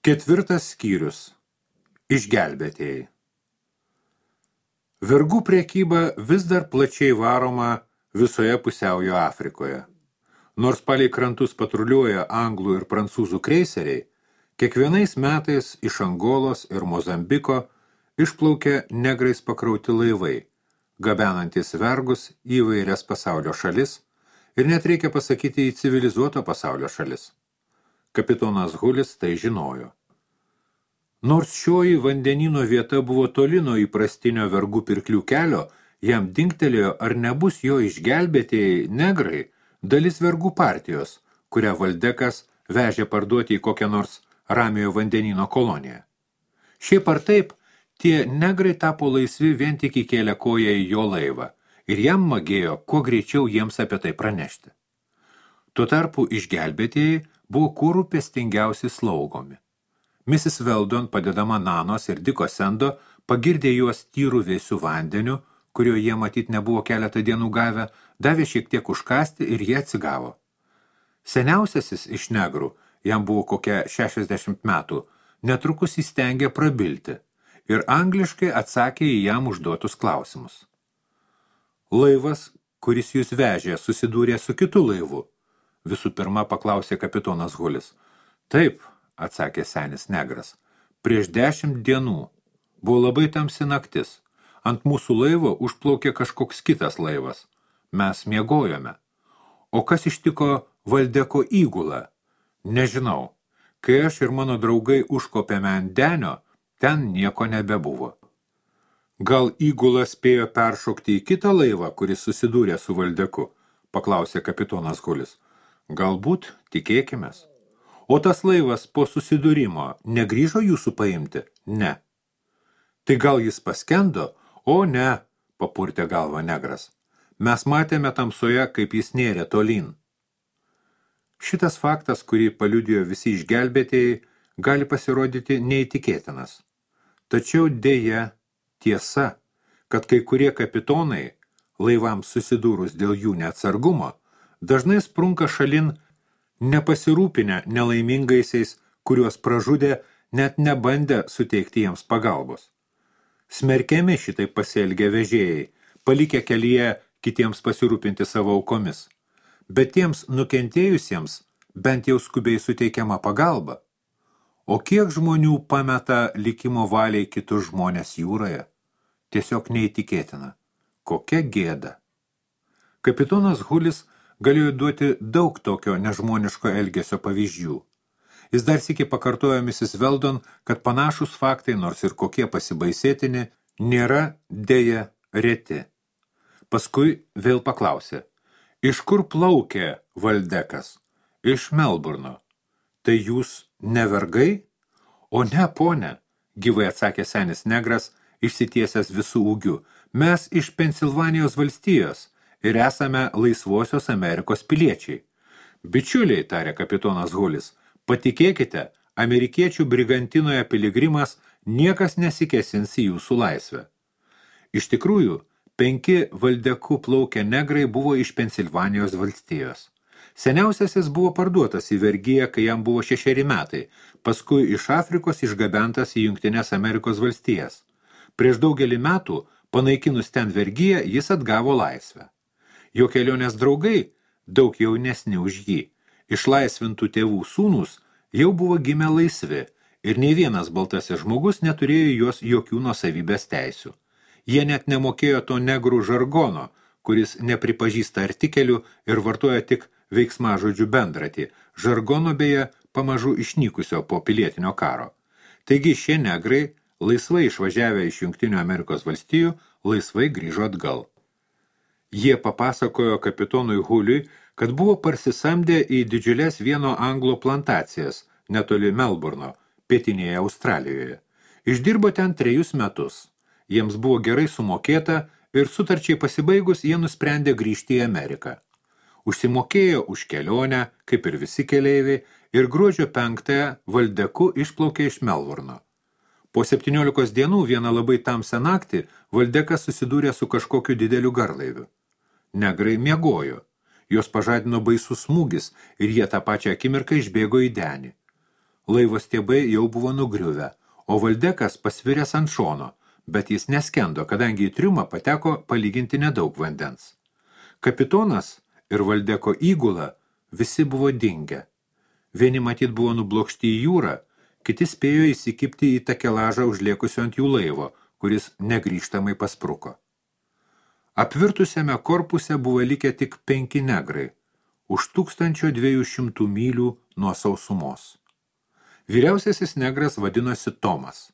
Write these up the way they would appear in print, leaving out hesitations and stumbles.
Ketvirtas skyrius. Išgelbėtėjai. Vergų prekyba vis dar plačiai varoma visoje pusiaujo Afrikoje. Nors palei krantus patruliuoja anglų ir prancūzų kreiseriai, kiekvienais metais iš Angolos ir Mozambiko išplaukia negrais pakrauti laivai, gabenantis vergus į įvairias pasaulio šalis ir net reikia pasakyti į civilizuoto pasaulio šalis. Kapitonas Hulis tai žinojo. Nors šioji vandenyno vieta buvo toli nuo įprastinio vergų pirklių kelio, jam dingtelėjo, ar nebus jo išgelbėtėjai negrai dalis vergų partijos, kurią Valdekas vežė parduoti į kokią nors Ramiojo vandenyno koloniją. Šiaip ar taip, tie negrai tapo laisvi vien tik įkėlę koją į jo laivą ir jam magėjo kuo greičiau jiems apie tai pranešti. Tuo tarpu išgelbėtėjai buvo kuo rūpestingiausi slaugomi. Mrs. Weldon, padedama Nanos ir Diko Sendo, pagirdė juos tyrų vėsių vandeniu, kurio jie matyt nebuvo keletą dienų gavę, davė šiek tiek užkasti ir jie atsigavo. Seniausiasis iš negrų, jam buvo kokia 60 metų, netrukus įstengė prabilti ir angliškai atsakė į jam užduotus klausimus. Laivas, kuris jūs vežė, susidūrė su kitu laivu, visų pirma paklausė kapitonas Hulis. Taip, atsakė senis negras. Prieš 10 dienų. Buvo labai tamsi naktis. Ant mūsų laivo užplaukė kažkoks kitas laivas. Mes miegojome. O kas ištiko Valdeko įgulą? Nežinau. Kai aš ir mano draugai užkopėme ant denio, ten nieko nebebuvo. Gal įgula spėjo peršokti į kitą laivą, kuris susidūrė su Valdeku? Paklausė kapitonas Hulis. Galbūt, tikėkimės. O tas laivas po susidūrimo negrįžo jūsų paimti? Ne. Tai gal jis paskendo? O ne, papurtė galvą negras. Mes matėme tamsoje, kaip jis nėrė tolyn. Šitas faktas, kurį paliudijo visi išgelbėtėjai, gali pasirodyti neįtikėtinas. Tačiau dėja tiesa, kad kai kurie kapitonai, laivams susidūrus dėl jų neatsargumo, dažnai sprunka šalin nepasirūpinę nelaimingaisiais, kuriuos pražudė, net nebandę suteikti jiems pagalbos. Smerkiami šitai pasielgę vežėjai, palikę kelyje kitiems pasirūpinti savo aukomis. Bet tiems nukentėjusiems bent jau skubiai suteikiama pagalba. O kiek žmonių pameta likimo valiai kitus žmonės jūroje? Tiesiog neįtikėtina. Kokia gėda. Kapitonas Hulis galėjo duoti daug tokio nežmoniško elgesio pavyzdžių. Jis dar sykį pakartojo Mrs. Weldon, kad panašus faktai, nors ir kokie pasibaisėtini, nėra dėja reti. Paskui vėl paklausė, iš kur plaukė Valdekas? Iš Melburno. Tai jūs ne vergai? O ne, ponė, gyvai atsakė senis negras, išsitiesęs visų ūgių. Mes iš Pensilvanijos valstijos ir esame laisvosios Amerikos piliečiai. Bičiuliai, tarė kapitonas Hulis, patikėkite, amerikiečių brigantinoje piligrimas niekas nesikesins į jūsų laisvę. Iš tikrųjų, 5 Valdeku plaukę negrai buvo iš Pensilvanijos valstijos. Seniausiasis buvo parduotas į vergiją, kai jam buvo 6 metai, paskui iš Afrikos išgabentas į Jungtines Amerikos valstijas. Prieš daugelį metų, panaikinus ten vergiją, jis atgavo laisvę. Jo kelionės draugai, daug jaunesni už jį, išlaisvintų tėvų sūnus, jau buvo gimę laisvi ir nei vienas baltasis žmogus neturėjo jos jokių nuosavybės teisių. Jie net nemokėjo to negrų žargono, kuris nepripažįsta artikelių ir vartoja tik veiksmažodžių bendratį, žargono beje pamažu išnykusio po pilietinio karo. Taigi šie negrai, laisvai išvažiavę iš Jungtinių Amerikos valstijų, laisvai grįžo atgal. Jie papasakojo kapitonui Huliui, kad buvo parsisamdę į didžiulės vieno anglo plantacijas, netoli Melburno, pietinėje Australijoje. Išdirbo ten 3 metus. Jiems buvo gerai sumokėta ir sutarčiai pasibaigus jie nusprendė grįžti į Ameriką. Užsimokėjo už kelionę, kaip ir visi keleiviai, ir gruodžio 5 Valdeku išplaukė iš Melburno. Po 17 dienų vieną labai tamsią naktį Valdekas susidūrė su kažkokiu dideliu garlaiviu. Negrai miegojo. Jos pažadino baisus smūgis ir jie tą pačią akimirką išbėgo į denį. Laivo stiebai jau buvo nugriuvę, o Valdekas pasviręs ant šono, bet jis neskendo, kadangi į triumą pateko palyginti nedaug vandens. Kapitonas ir Valdeko įgula visi buvo dingę. Vieni matyt buvo nublokšti į jūrą, kiti spėjo įsikipti į takelažą užliekusio ant jų laivo, kuris negrįžtamai paspruko. Apvirtusiame korpuse buvo likę tik 5 negrai, už 1200 mylių nuo sausumos. Vyriausiasis negras vadinosi Tomas.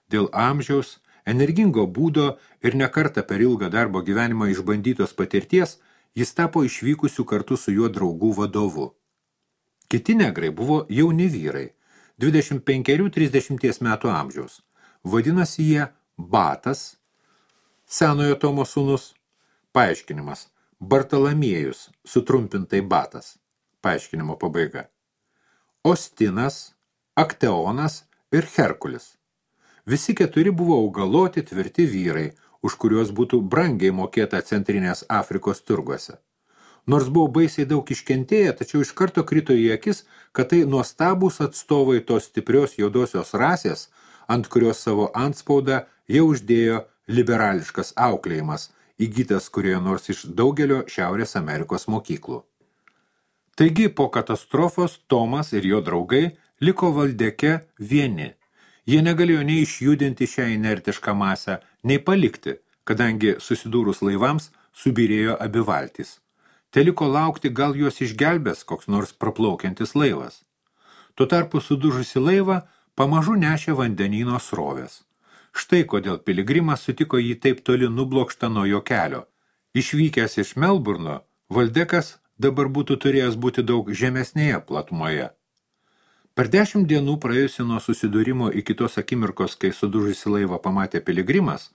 Dėl amžiaus, energingo būdo ir nekartą per ilgą darbo gyvenimą išbandytos patirties, jis tapo išvykusių kartu su juo draugų vadovu. Kiti negrai buvo jauni vyrai, 25-30 metų amžiaus. Vadinosi jie Batas, senojo Tomo sūnus. Paaiškinimas – Bartalamiejus, sutrumpintai Batas. Paaiškinimo pabaiga. Ostinas, Akteonas ir Herkulis. Visi 4 buvo augaloti tvirti vyrai, už kuriuos būtų brangiai mokėta Centrinės Afrikos turguose. Nors buvo baisiai daug iškentėję, tačiau iš karto krito į akis, kad tai nuostabūs atstovai tos stiprios juodosios rasės, ant kurios savo antspaudą jau uždėjo liberališkas auklėjimas, įgytas kurioje nors iš daugelio Šiaurės Amerikos mokyklų. Taigi po katastrofos Tomas ir jo draugai liko Valdeke vieni. Jie negalėjo nei išjudinti šią inertišką masę, nei palikti, kadangi susidūrus laivams subyrėjo abi valtys. Teliko laukti, gal juos išgelbės koks nors praplaukiantis laivas. Tuo tarpu sudužusi laivą pamažu nešė vandenyno srovės. Štai kodėl piligrimas sutiko jį taip toli nublokštą nuo jo kelio. Išvykęs iš Melburno, Valdekas dabar būtų turėjęs būti daug žemesnėje platumoje. Per 10 dienų praėjusi nuo susidūrimo iki tos akimirkos, kai sudužusi laivą pamatė piligrimas,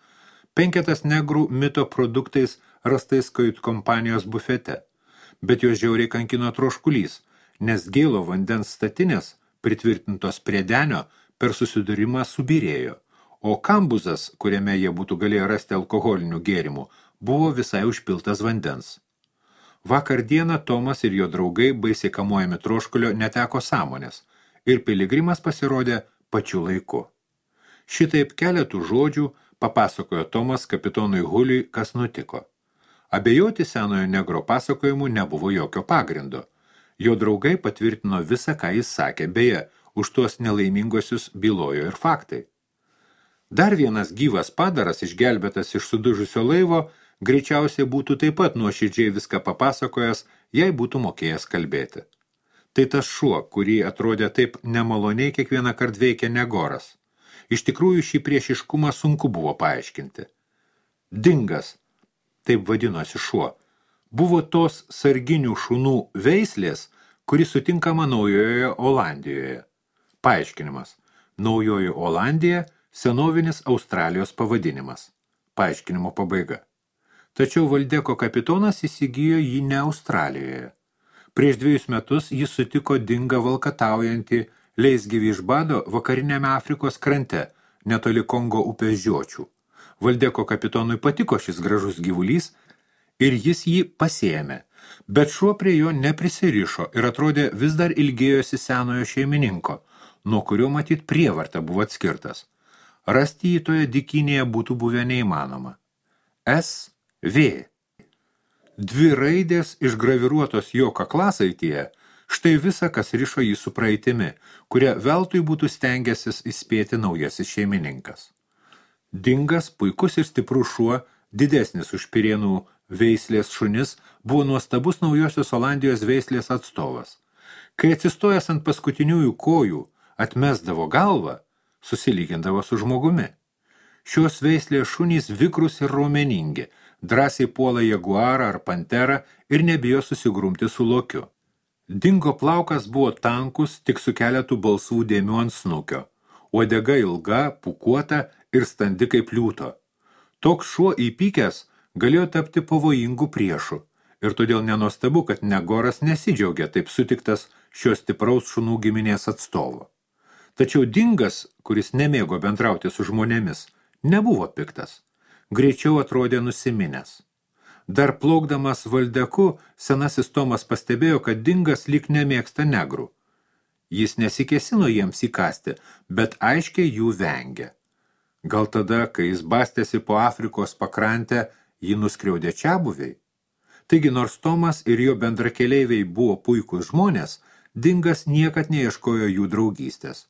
5 negrų mito produktais rastais kajutkompanijos bufete, bet jos žiauriai kankino troškulys, nes gėlo vandens statinės, pritvirtintos prie denio, per susidūrimą subyrėjo, o kambuzas, kuriame jie būtų galėję rasti alkoholinių gėrimų, buvo visai užpiltas vandens. Vakar dieną Tomas ir jo draugai, baisiai kamuojami troškulio, neteko sąmonės, ir piligrimas pasirodė pačiu laiku. Šitaip keletų žodžių papasakojo Tomas kapitonui Huliui, kas nutiko. Abejoti senojo negro pasakojimu nebuvo jokio pagrindo. Jo draugai patvirtino visą, ką jis sakė, beje, už tuos nelaimingosius bylojo ir faktai. Dar vienas gyvas padaras, išgelbėtas iš sudužusio laivo, greičiausiai būtų taip pat nuoširdžiai viską papasakojęs, jei būtų mokėjęs kalbėti. Tai tas šuo, kurį atrodė taip nemaloniai kiekvieną kart veikia Negoras. Iš tikrųjų šį priešiškumą sunku buvo paaiškinti. Dingas, taip vadinosi šuo, buvo tos sarginių šunų veislės, kuri sutinkama Naujojoje Olandijoje. Paaiškinimas. Naujoji Olandija – senovinis Australijos pavadinimas. Paaiškinimo pabaiga. Tačiau Valdeko kapitonas įsigijo jį ne Australijoje. Prieš 2 metus jis sutiko dingą valkataujantį leisgyvį iš bado vakariniame Afrikos krante, netoli Kongo upės žiočių. Valdeko kapitonui patiko šis gražus gyvulys ir jis jį pasiėmė, bet šuo prie jo neprisirišo ir atrodė vis dar ilgėjosi senojo šeimininko, nuo kurio matyt prievarta buvo atskirtas. Rasti jį toje dykynėje būtų buvę neįmanoma. S.V. 2 raidės išgraviruotos jo kaklasaityje, štai visa, kas rišo jį su praeitimi, kuria veltui būtų stengęsis įspėti naujasis šeimininkas. Dingas, puikus ir stiprus šuo, didesnis už Pirėnų veislės šunis, buvo nuostabus Naujosios Olandijos veislės atstovas. Kai atsistojęs ant paskutiniųjų kojų atmesdavo galvą, susilygindavo su žmogumi. Šios veislės šunys vikrus ir raumeningi, drąsiai puola jaguarą ar panterą ir nebijo susigrumti su lokiu. Dingo plaukas buvo tankus, tik su keletu balsvų dėmių ant snukio. Uodega ilga, pūkuota ir standi kaip liūto. Toks šuo įpykęs galėjo tapti pavojingų priešų ir todėl nenuostabu, kad Negoras nesidžiaugia taip sutiktas šios stipraus šunų giminės atstovo. Tačiau Dingas, kuris nemėgo bendrauti su žmonėmis, nebuvo piktas. Greičiau atrodė nusiminęs. Dar plaukdamas Valdeku, senasis Tomas pastebėjo, kad Dingas lyg nemėgsta negrų. Jis nesikėsino jiems įkasti, bet aiškiai jų vengė. Gal tada, kai jis bastėsi po Afrikos pakrantę, jį nuskriaudė čiabuviai? Taigi, nors Tomas ir jo bendrakeleiviai buvo puikūs žmonės, Dingas niekad neieškojo jų draugystės.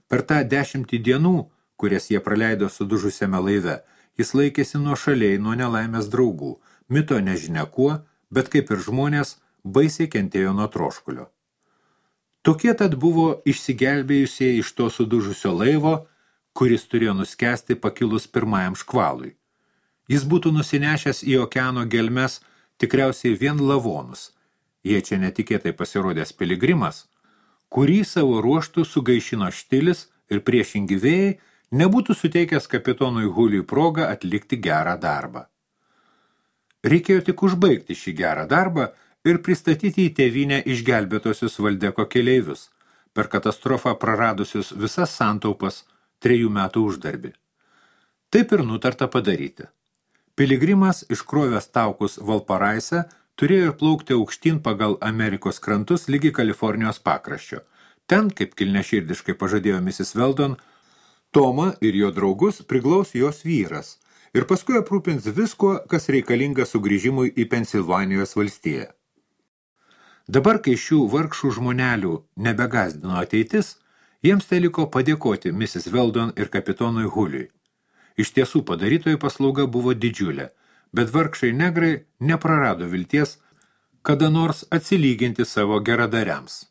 Per tą 10 dienų, kurias jie praleido sudužusiame laive, jis laikėsi nuošaliai nuo nelaimės draugų, mito nežinia kuo, bet kaip ir žmonės, baisiai kentėjo nuo troškulio. Tokie tad buvo išsigelbėjusieji iš to sudužusio laivo, kuris turėjo nuskesti pakilus pirmajam škvalui. Jis būtų nusinešęs į okeano gelmes tikriausiai vien lavonus, jei čia netikėtai pasirodęs piligrimas, kurį savo ruoštų sugaišino štilis ir priešingi vėjai nebūtų suteikęs kapitonui Huliui progą atlikti gerą darbą. Reikėjo tik užbaigti šį gerą darbą ir pristatyti į tėvynę išgelbėtosius Valdeko keleivius, per katastrofą praradusius visas santaupas 3 metų uždarbį. Taip ir nutarta padaryti. Piligrimas, iškrovęs taukus Valparaise, turėjo plaukti aukštyn pagal Amerikos krantus ligi Kalifornijos pakraščio. Ten, kaip kilneširdiškai pažadėjo Mrs. Weldon, Tomą ir jo draugus priglaus jos vyras ir paskui aprūpins visko, kas reikalinga sugrįžimui į Pensilvanijos valstiją. Dabar, kai šių vargšų žmonelių nebegazdino ateitis, jiems teliko padėkoti Mrs. Weldon ir kapitonui Huliui. Iš tiesų padarytojų paslauga buvo didžiulė, bet vargšai negrai neprarado vilties kada nors atsilyginti savo geradariams.